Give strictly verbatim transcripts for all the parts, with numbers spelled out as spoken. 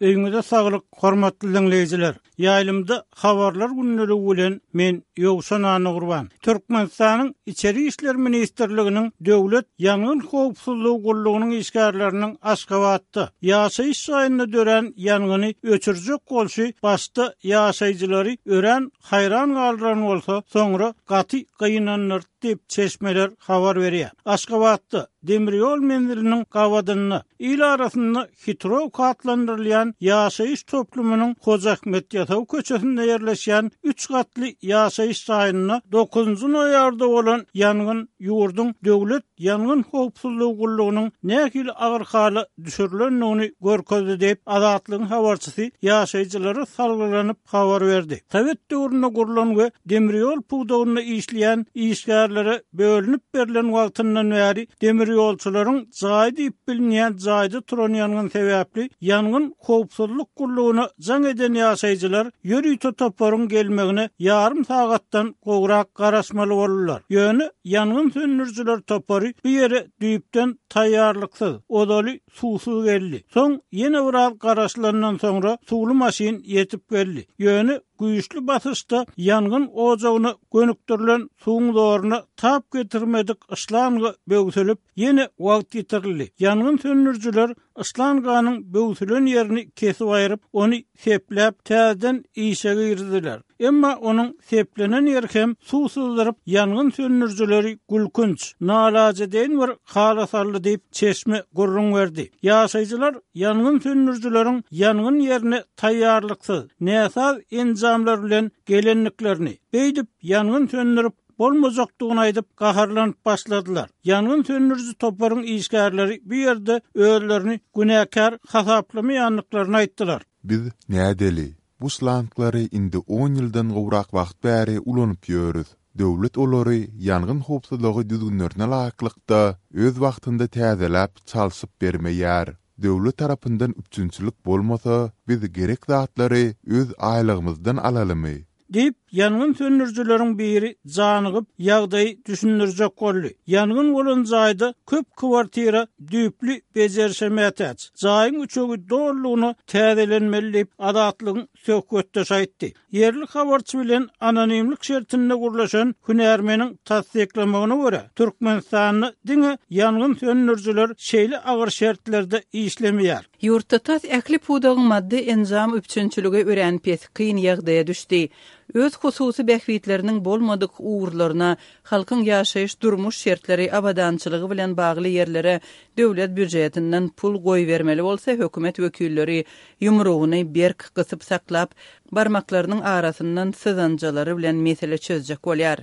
Öýüňize saglyk, hormatly diňleýjiler. Ýaýlymda habarlar gündeligi bilen men Ýowşan Annagurban. Türkmenistanyň Içeri işler ministrliginiň Döwlet ýangyn howpsuzlygy gullugynyň işgärleriniň Aşgabatda ýaşaýyş jaýynda dörän ýangyny öçürjek bolşy başda ýaşaýjylary örän haýran galdyran bolsa, soňra gaty gynandyrdy diýip çeşmeler habar berýär. Aşgabatda demir ýol menziliniň gabadynda il arasynda Hitrowka atlandyrylýan ýaşaýyş toplumynyň Hoja Ahmet Ýasawy köçesinde ýerleşýän üç gatly ýaşaýyş jaýynda dokuzynjy noýabrda bolan ýangyn ýurduň Döwlet ýangyn howpsuzlygy gullugynyň nähili agyr hala düşürilendigini görkezdi diýip, Azatlygyň habarçysy ýaşaýjylara salgylanyp habar berdi. Sowet döwründe gurlan we demir ýol pudagynda işleýän işgärlere bölünip berlen wagtyndan bäri demir ýolçularyň jaýy diýip bilinýän jaýda turan ýangyn sebäpli ýangyn howpsuzlyk gullugyna jaň eden ýaşaýjylar ýörite toparyň gelmegine ýarym sagatdan gowrak garaşmaly boldular. Ýöne ýangyn söndürijiler topary bu ýere düýpden taýýarlyksyz, ozaly suwsuz geldi. Soň ýene biraz garaşylandan soňra suwly maşyn ýetip geldi. Ýöne güýçli basyşda ýangyn ojagyna gönükdirilen suwuň zoruna tap getirmedik yşlanga böwsülip, ýene wagt ýitirildi. Ýangyn söndürijiler yşlanganyň böwsülen ýerini kesip aýryp, ony sepläp, täzeden işe girdiler. Emma onuň seplenen ýeri hem suw syzdyryp, ýangyn söndürijileri gülkünç, nalajedeýin bir hala saldy diýip, çeşme gürrüň berdi. Ýaşaýjylar ýangyn söndürijileriň ýangyn ýerine taýýarlyksyz, näsaz enjamlar bilen gelendiklerini, beýdip ýangyn söndürip bolmajakdygyny aýdyp, gaharlanyp başladylar. Ýangyn söndüriji toparyň işgärleri bu ýerde özlerini günäkär hasaplamaýandyklaryny aýtdylar. Biz nädeli? Bu şlanglary indi on ýyldan gowrak wagt bäri ulanyp ýörüs. Döwlet olary ýangyn howpsuzlygy düzgünlerine laýyklykda öz wagtynda täzeläp, çalşyp bermeýär. Döwlet tarapyndan üpjünçilik bolmasa, biz gerek zatlary öz aýlygymyzdan alalymy? Diýip, ýangyn söndürijileriň biri janygyp, ýagdaýy düşündirjek boldy. Ýangyn bolan jaýda köp kwartira düýpli bejerişe mätäç. Jaýyň üçegi dolulygyna täzelenmeli diýip, Azatlygyň söhbetdeşi aýtdy. Ýerli habarçy bilen anonimlik şertinde gürleşen hünärmeniň tassyklamagyna görä, Türkmenistanda diňe ýangyn söndürijiler şeýle agyr şertlerde işlemeýär. Ýurtda tas ähli pudagyň maddy enjam üpjünçiligi örän pes, kyn ýagdaýa düşdi. Öz hususy bähbitleriniň bolmadyk ugurlaryna, halkyň ýaşaýyş durmuş şertleri, abadançylygy bilen bagly ýerlere döwlet býujetinden pul goýbermeli bolsa, hökümet wekilleri ýumrugyny berk gysyp saklap, barmaklarynyň arasyndan syzanjalary bilen mesele çözjek bolýar.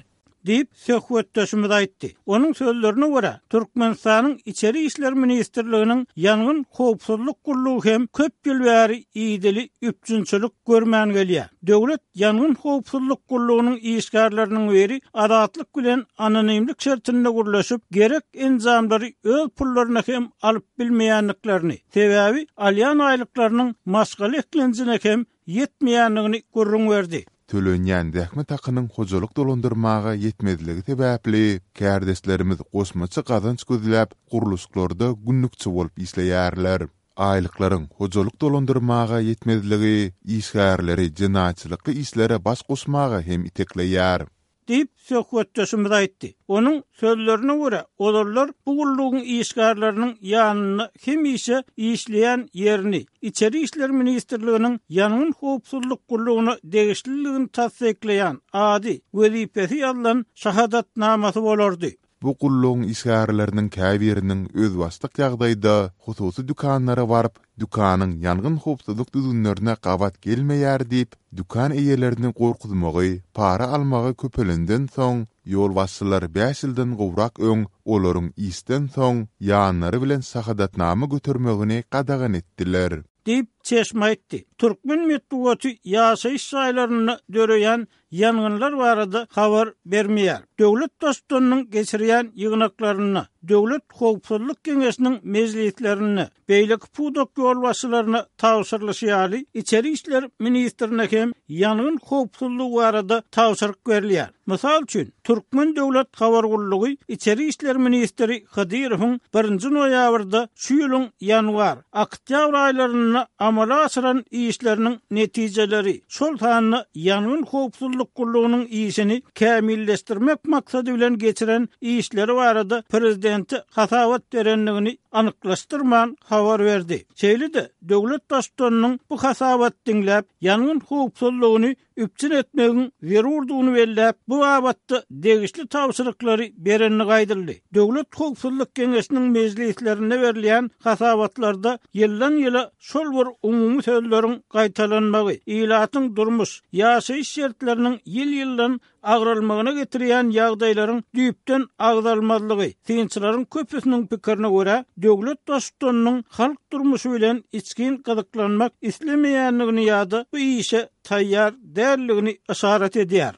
Diýip, söhbetdeşimiz aýtdy. Onuň sözlerine görä, Türkmenistanyň Içeri işler ministrliginiň ýangyn howpsuzlyk gullugy hem köp ýyl bäri idili üpjünçilik görmän gelýär. Döwlet ýangyn howpsuzlyk gullugynyň işgärleriniň biri Azatlyk bilen anonimlik şertinde gürleşip, gerek enjamlary öz pullaryna hem alyp bilmeýändiklerini, sebäbi alýan aýlyklarynyň maşgala eklenjine hem ýetmeýändigini gürrüň berdi. Tölenýän zähmet hakynyň hojalyk dolandyrmaga ýetmezligi sebäpli kärdeşlerimiz goşmaça gazanç gözläp, gurluşyklarda günlükçi bolup işleýärler. Aýlyklaryň hojalyk dolandyrmaga ýetmezligi işgärleri jenaýatçylykly işlere baş goşmaga hem itekleýär. Diýip, söhbetdeşimiz aýtdy. Onuň sözlerine görä, ozallar bu gullugyň işgärleriniň ýanynda hemişe işleýän ýerini Içeri işler ministrliginiň ýangyn howpsuzlyk gullugyna degişliligini tassyklaýan ady, wezipesi ýazylan şahadatnamasy bolardy. Bu gullugyň işgärleriniň käbiriniň özbaşdak ýagdaýda hususy dükanlara baryp, dükanyň ýangyn howpsuzlyk düzgünlerine gabat gelmeýär diýip, dükan eýelerini gorkuzmagy, para almagy köpelenden soň, ýolbaşçylar bäş ýyldan gowrak öň olaryň işden soň ýanlary bilen şahadatnama götermegini gadagan etdiler. Diýip, çeşme aýtdy. Türkmen metbugaty ýaşaýyş jaýlarynda döreýän ýangynlar barada habar bermeýär. Döwlet Baştutanynyň geçirýän ýygnaklarynda, Döwlet howpsuzlyk geňeşiniň mejlislerinde, beýleki pudak ýolbaşçylaryna tabşyrylyşy ýaly, Içeri işler ministrine hem ýangyn howpsuzlygy barada tabşyryk berilýär. Mysal üçin, Türkmen döwlet habar gullugy Içeri işler ministri Hydyrowyň birinji noýabrda şu ýylyň ýanwar, oktýabr aýlarynda amala aşyran işleriniň netijeleri, şol sanda ýangyn howpsuzlyk gullugynyň işini kämilleşdirmek maksady bilen geçiren işleri barada prezidente hasabat berendigini anyklaşdyrman habar berdi. Şeýle-de döwlet Baştutanynyň bu hasabat diňläp, ýangyn howpsuzlygyny üpjün etmegiň zerurdygyny belläp, bu babatda degişli tabşyryklary berenligi aýdyldy. Döwlet howpsuzlyk geňeşiniň mejlislerinde berilýän hasabatlarda ýyldan-ýyla şol bir umumy sözleriň gaýtalanmagy, ilatyň durmuş, ýaşaýyş şertleriniň ýyl-ýyldan agralmagyna getirýän ýagdaýlaryň düýpden agzalmazlygy, synçylaryň köpüsiniň pikirine görä, döwlet Baştutanynyň halk durmuşy bilen içgin gyzyklanmak islemeýändigini ýa-da bu işe taýýar däldigini yşarat edýär.